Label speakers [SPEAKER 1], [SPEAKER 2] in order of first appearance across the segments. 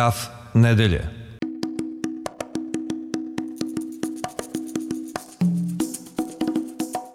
[SPEAKER 1] Graf nedelje.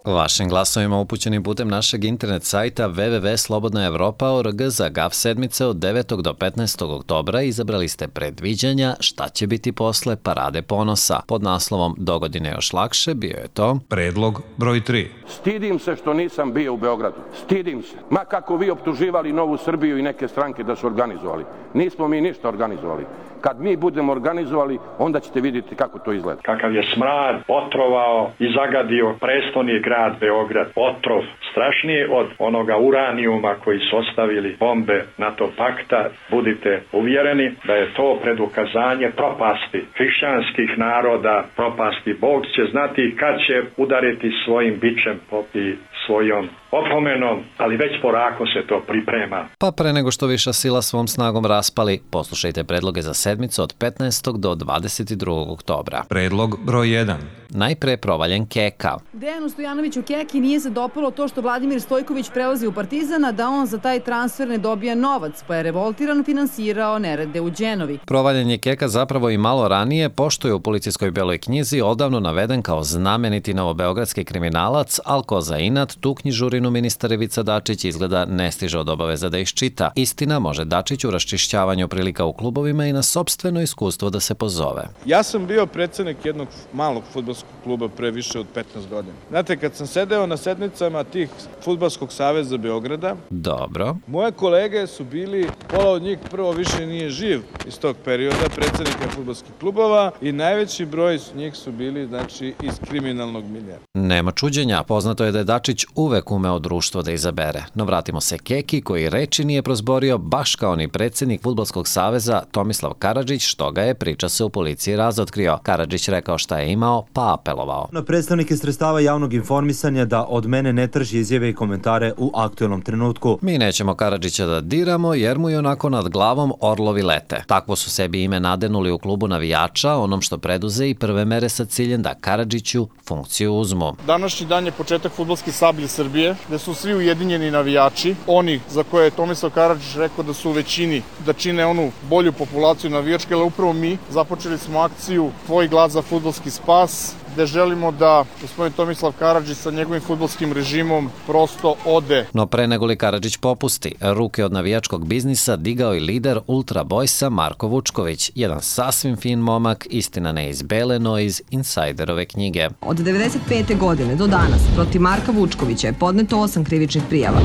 [SPEAKER 2] Vašim glasovima upućenim putem našeg internet sajta www.slobodnaevropa.org za GAF sedmice od 9. do 15. oktobra izabrali ste predviđanja šta će biti posle Parade ponosa. Pod naslovom Dogodine još lakše bio je to
[SPEAKER 1] Predlog broj 3.
[SPEAKER 3] Stidim se što nisam bio u Beogradu. Stidim se. Ma kako vi optuživali Novu Srbiju i neke stranke da su organizovali. Nismo mi ništa organizovali. Kad mi budemo organizovali, onda ćete vidjeti kako to izgleda.
[SPEAKER 4] Kakav je smrad otrovao i zagadio prestoni grad Beograd. Otrov strašniji od onoga uranijuma koji su ostavili bombe NATO pakta. Budite uvjereni da je to predukazanje propasti hrišćanskih naroda, propasti. Bog će znati kad će udariti svojim bičem i svojom opomenom, ali već polako se to priprema.
[SPEAKER 2] Pa pre nego što viša sila svom snagom raspali, poslušajte predloge za sedmicu od 15. do 22. oktobra.
[SPEAKER 1] Predlog broj 1.
[SPEAKER 2] Najpre provaljen Keka.
[SPEAKER 5] Dejanu Stojanoviću Keki nije se dopalo to što Vladimir Stojković prelazi u Partizana, da on za taj transfer ne dobija novac, pa je revoltiran finansirao nerede u Đenovi.
[SPEAKER 2] Provaljen je Keka zapravo i malo ranije, pošto je u policijskoj beloj knjizi odavno naveden kao znameniti novobeogradski kriminalac, al ko za inat tu knjižurinu ministar Ivica Dačić izgleda ne stiže od obaveza da iščita. Istina, može Dačić u raščišćavanju prilika u klubovima i na sopstveno iskustvo da se pozove.
[SPEAKER 6] Ja sam bio predsednik jednog malog fudbalskog kluba pre više od 15 godina. Znate, kad sam sedeo na sednicama tih Fudbalskog saveza Beograda,
[SPEAKER 2] dobro,
[SPEAKER 6] moje kolege su bili, pola od njih prvo više nije živ iz tog perioda, predsednika fudbalskih klubova, i najveći broj njih su bili, znači, iz kriminalnog miljea.
[SPEAKER 2] Nema čuđenja, poznato je da je Dačić uvek umeo društvo da izabere. No vratimo se Keki, koji reči nije prozborio baš kao ni predsednik Fudbalskog saveza Tomislav Karadžić, što ga je, priča se, u policiji razotkrio. Karadžić rekao šta je imao, pa apelovao
[SPEAKER 7] na predstavnike sredstava javnog informisanja da od mene ne traži izjave i komentare u aktuelnom trenutku.
[SPEAKER 2] Mi nećemo Karadžića da diramo, jer mu i onako nad glavom orlovi lete. Takvo su sebi ime nadenuli u klubu navijača, onom što preduze i prve mere sa ciljem da Karadžiću funkciju uzmu.
[SPEAKER 6] Današnji dan je početak fudbalske sablje Srbije, gde su svi ujedinjeni navijači, oni za koje je Tomislav Karadžić rekao da su u većini, da čine onu bolju populaciju navijačke, ali upravo mi započeli smo akciju Tvoj glas za fudbalski spas, gde želimo da gospodin Tomislav Karadžić sa njegovim fudbalskim režimom prosto ode.
[SPEAKER 2] No pre nego li Karadžić popusti, ruke od navijačkog biznisa digao i lider Ultra Boysa Marko Vučković, jedan sasvim fin momak, istina ne iz bele, no iz insajderove knjige.
[SPEAKER 8] Od 1995. godine do danas protiv Marka Vučkovića je podneto 8 krivičnih prijava,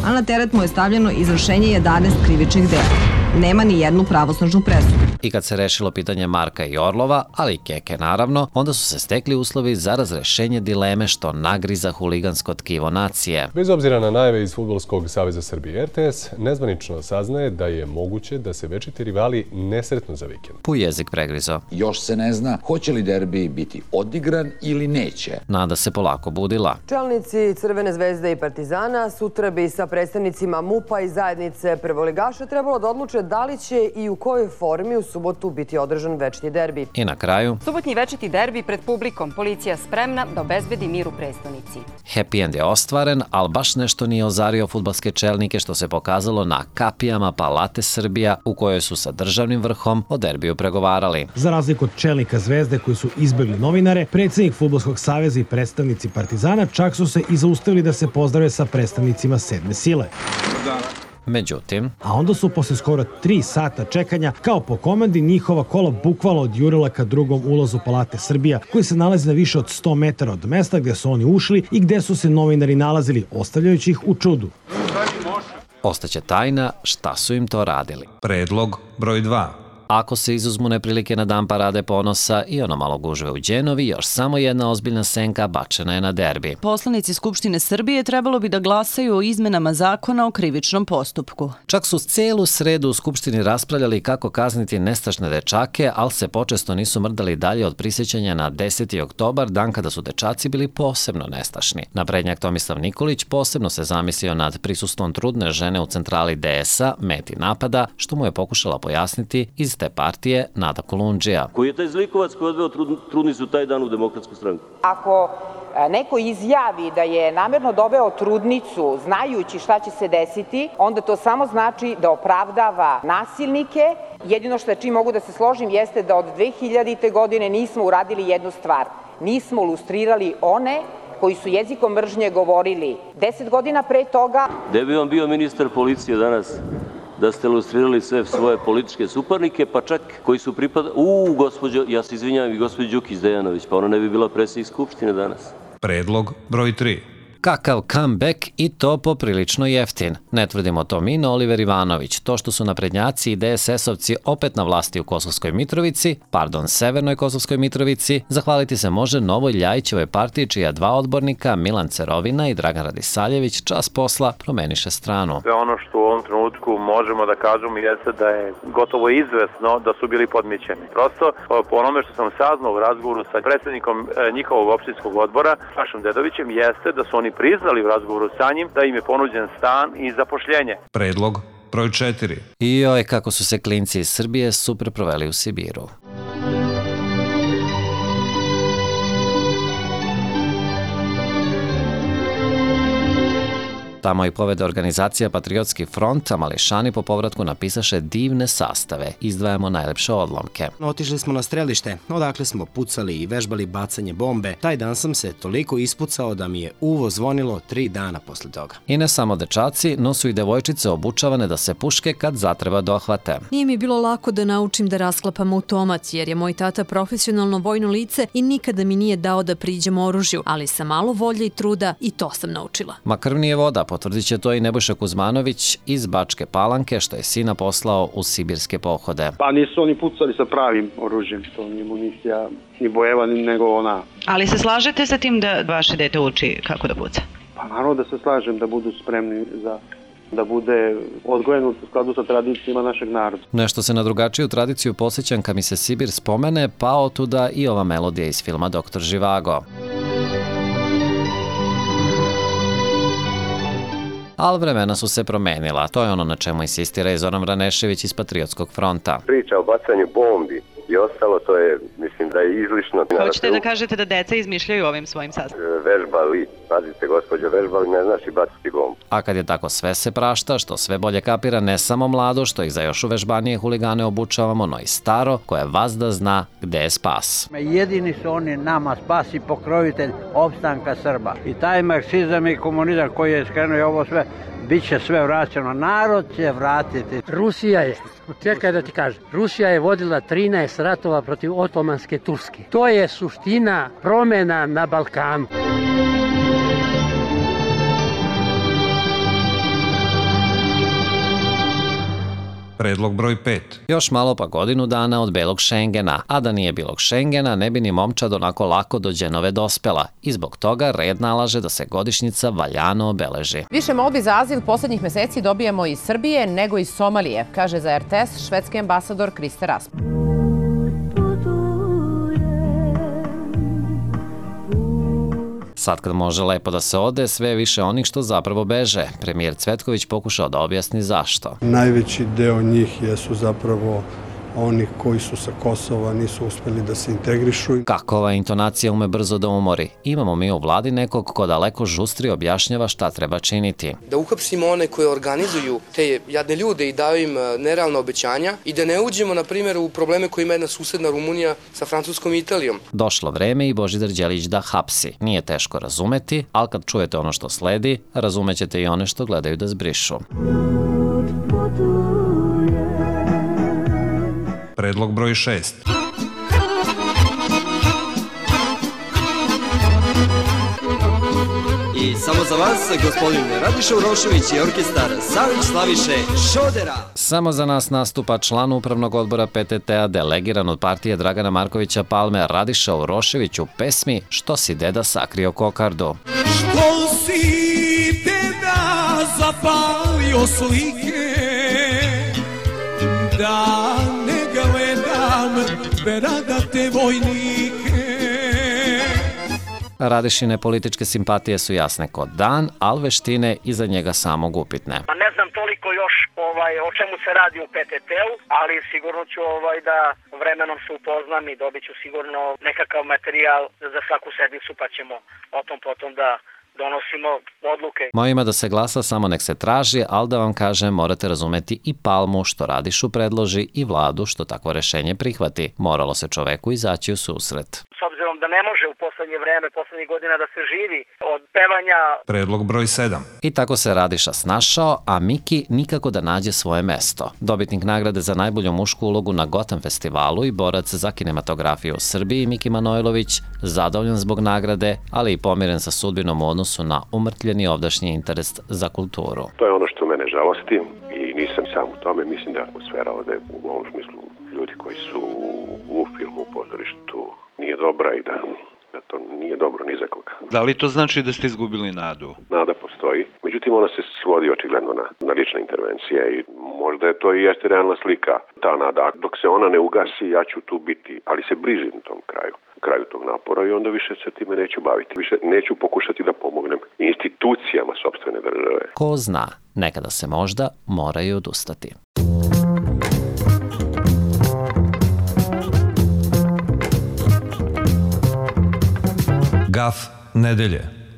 [SPEAKER 8] a na teret mu je stavljeno izvršenje 11 krivičnih dela. Nema ni jednu pravosnažnu presudu.
[SPEAKER 2] I kad se rešilo pitanje Marka i Orlova, ali i Keke naravno, onda su se stekli uslovi za razrešenje dileme što nagriza huligansko tkivo nacije.
[SPEAKER 9] Bez obzira na najave iz Fudbalskog saveza Srbije, RTS nezvanično saznaje da je moguće da se večiti rivali nesretnu za vikend.
[SPEAKER 2] Pu jezik pregrizo.
[SPEAKER 10] Još se ne zna hoće li derbi biti odigran ili neće.
[SPEAKER 2] Nada se polako budila.
[SPEAKER 11] Čelnici Crvene zvezde i Partizana sutra bi sa predstavnicima MUP-a i zajednice prvoligaša trebalo da odluče da li će i u kojoj formi u subotu biti održan večiti derbi.
[SPEAKER 2] I na kraju,
[SPEAKER 12] subotnji večiti derbi pred publikom, policija spremna da obezbedi mir u prestonici.
[SPEAKER 2] Happy end je ostvaren, ali baš nešto nije ozario fudbalske čelnike, što se pokazalo na kapijama Palate Srbija, u kojoj su sa državnim vrhom o derbiju pregovarali.
[SPEAKER 13] Za razliku od čelnika Zvezde koji su izbegli novinare, predsednik Fudbalskog saveza i predstavnici Partizana čak su se i zaustavili da se pozdrave sa predstavnicima sedme sile.
[SPEAKER 2] Međutim,
[SPEAKER 13] a onda su posle skoro 3 sata čekanja, kao po komandi, njihova kola bukvalno odjurila ka drugom ulazu Palate Srbija, koji se nalazi na više od 100 metara od mesta gde su oni ušli i gde su se novinari nalazili, ostavljajući ih u čudu.
[SPEAKER 2] Ostaće tajna šta su im to radili.
[SPEAKER 1] Predlog broj 2.
[SPEAKER 2] Ako se izuzmu neprilike na dan Parade ponosa i ono malo gužve u Đenovi, još samo jedna ozbiljna senka bačena je na derbi.
[SPEAKER 14] Poslanici Skupštine Srbije trebalo bi da glasaju o izmenama zakona o krivičnom postupku.
[SPEAKER 2] Čak su celu sredu u Skupštini raspravljali kako kazniti nestašne dečake, ali se počesto nisu mrdali dalje od prisjećanja na 10. oktobar, dan kada su dečaci bili posebno nestašni. Naprednjak Tomislav Nikolić posebno se zamislio nad prisustvom trudne žene u centrali DS-a, meti napada, što mu je pokušala pojasniti iz te partije Nada Kolundžija.
[SPEAKER 15] Koji je taj zlikovac koji odveo trudnicu taj dan u Demokratsku stranku?
[SPEAKER 16] Ako
[SPEAKER 15] neko izjavi da je namerno doveo trudnicu znajući šta će se desiti, onda to samo znači da opravdava nasilnike. Jedino što čim mogu da se složim jeste da od 2000. godine nismo uradili jednu stvar. Nismo lustrirali one koji su jezikom mržnje govorili 10 godina pre toga.
[SPEAKER 16] Gde bi vam bio ministar policije danas da ste lustrirali sve svoje političke suparnike, pa čak koji su pripadali... Gospođo, ja se izvinjavam i gospođo Đukić Dejanović, pa ona ne bi bila predsjednik Skupštine danas.
[SPEAKER 1] Predlog broj 3.
[SPEAKER 2] Kakav comeback i to poprilično jeftin. Ne tvrdimo to mi, no Oliver Ivanović. To što su naprednjaci i DSS-ovci opet na vlasti u Kosovskoj Mitrovici, Severnoj Kosovskoj Mitrovici, zahvaliti se može Novoj Ljajićevoj partiji čija 2 odbornika, Milan Cerovina i Dragan Radisaljević, čas posla promeniše stranu.
[SPEAKER 17] Sve ono što u ovom trenutku možemo da kažemo jeste da je gotovo izvesno da su bili podmićeni. Prosto po onome što sam saznao u razgovoru sa predsjednikom njihovog opštinskog odbora, Sašom Dedovićem, jeste da su oni priznali u razgovoru sa njim da im je ponuđen stan i zapošljenje.
[SPEAKER 1] Predlog broj 4.
[SPEAKER 2] I kako su se klinci iz Srbije super proveli u Sibiru. Tamo i povede organizacija Patriotski front, a mališani po povratku napisaše divne sastave. Izdvajamo najlepše odlomke.
[SPEAKER 18] Otišli smo na strelište, odakle smo pucali i vežbali bacanje bombe. Taj dan sam se toliko ispucao da mi je uvo zvonilo 3 dana posle toga.
[SPEAKER 2] I ne samo dečaci, no su i devojčice obučavane da se puške kad zatreba dohvate.
[SPEAKER 19] Nije mi bilo lako da naučim da rasklapam automat, jer je moj tata profesionalno vojno lice i nikada mi nije dao da priđem oružju, ali sa malo volje i truda i to sam naučila.
[SPEAKER 2] Ma krv nije voda, potvrdit će to i Nebojša Kuzmanović iz Bačke Palanke, što je sina poslao u sibirske pohode.
[SPEAKER 20] Pa nisu oni pucali sa pravim oružjem, to nije municija ni bojeva, nego ona.
[SPEAKER 21] Ali se slažete sa tim da vaše dete uči kako da puca?
[SPEAKER 20] Pa naravno da se slažem da budu spremni da bude odgojen u skladu sa tradicijama našeg naroda.
[SPEAKER 2] Nešto se na drugačiju tradiciju posjećam kad mi se Sibir spomene, pa otuda i ova melodija iz filma Doktor Živago. Ali vremena su se promenila. To je ono na čemu insistira i Zoran Vranešević iz Patriotskog fronta.
[SPEAKER 22] Priča o bacanju bombi i ostalo, to je, mislim da je izlišno.
[SPEAKER 21] Hoćete da kažete da deca izmišljaju ovim svojim sastavima?
[SPEAKER 22] Vežbali, pazite gospođo, vežbali ne znači baciti bombu.
[SPEAKER 2] A kad je tako sve se prašta, što sve bolje kapira ne samo mlado, što ih za još uvežbanije huligane obučavamo, no i staro, koje vazda zna gde je spas.
[SPEAKER 23] Jedini su oni nama spas i pokrovitelj opstanka Srba. I taj marksizam i komunizam koji je skrenuo i ovo sve, bit će sve vraćeno. Narod će vratiti.
[SPEAKER 24] Rusija je, čekaj da ti kažem, Rusija je vodila 13 ratova protiv Otomanske Turske. To je suština promjena na Balkanu.
[SPEAKER 1] Predlog broj 5.
[SPEAKER 2] Još malo pa godinu dana od belog Šengena, a da nije bilog Šengena ne bi ni momčad onako lako do Đenove dospela i zbog toga red nalaže da se godišnjica valjano obeleži.
[SPEAKER 25] Više molbi za azil poslednjih meseci dobijamo iz Srbije nego iz Somalije, kaže za RTS švedski ambasador Kriste Rasmus.
[SPEAKER 2] Sad kad može lepo da se ode, sve je više onih što zapravo beže. Premijer Cvetković pokušao da objasni zašto.
[SPEAKER 26] Najveći deo njih jesu zapravo oni koji su sa Kosova, nisu uspeli da se integrišu.
[SPEAKER 2] Kako ova intonacija ume brzo da umori? Imamo mi u vladi nekog ko daleko žustri objašnjava šta treba činiti.
[SPEAKER 27] Da uhapsimo one koje organizuju te jadne ljude i daju im nerealna obećanja i da ne uđemo, na primjer, u probleme koje ima jedna susedna Rumunija sa Francuskom i Italijom.
[SPEAKER 2] Došlo vreme i Božidar Đelić da hapsi. Nije teško razumeti, ali kad čujete ono što sledi, razumećete i one što gledaju da zbrišu.
[SPEAKER 1] Predlog broj 6.
[SPEAKER 28] I samo za vas, gospodin Radiša Urošević i orkestar Savić Slaviše Šodera.
[SPEAKER 2] Samo za nas nastupa član upravnog odbora PTT-a, delegiran od partije Dragana Markovića Palme, Radiša Urošević u pesmi Što si deda sakrio kokardu.
[SPEAKER 29] Što si deda zapalio slike, da ne gledam beradate vojnike.
[SPEAKER 2] Radišine političke simpatije su jasne kod dan, ali veštine iza njega samog upitne.
[SPEAKER 30] Ne znam toliko još
[SPEAKER 3] o čemu se radi u PTT-u, ali sigurno ću da vremenom se upoznam i dobit ću sigurno nekakav materijal za svaku sednicu, pa ćemo o tom potom da donosimo odluke.
[SPEAKER 2] Mojima da se glasa samo nek se traži, ali da vam kažem, morate razumeti i Palmu što Radišu predloži i vladu što takvo rešenje prihvati. Moralo se čoveku izaći u susret.
[SPEAKER 3] S obzirom da ne može u poslednje vreme, poslednjih godina da se živi od pevanja.
[SPEAKER 1] Predlog broj 7.
[SPEAKER 2] I tako se Radiša snašao, a Miki nikako da nađe svoje mesto. Dobitnik nagrade za najbolju mušku ulogu na Gotham festivalu i borac za kinematografiju u Srbiji, Miki Manojlović, zadovoljan zbog nagrade, ali i pomiren sa sudbinom u odnosu na umrtljeni ovdašnji interes za kulturu.
[SPEAKER 22] To je ono što mene žalosti i nisam sam u tome. Mislim da atmosfera ovde u ovom smislu ljudi koji su u filmu, u pozorištu nije dobra i da to nije dobro ni za koga.
[SPEAKER 4] Da li to znači da ste izgubili nadu?
[SPEAKER 22] Nada postoji. Međutim, ona se svodi očigledno na lične intervencije i možda je to i jeste realna slika. Ta nada, dok se ona ne ugasi, ja ću tu biti, ali se bližim tom kraju tog napora i onda više se time neću baviti. Više neću pokušati da pomognem institucijama sopstvene države.
[SPEAKER 2] Ko zna, nekada se možda moraju odustati.
[SPEAKER 1] Gaf nedelje.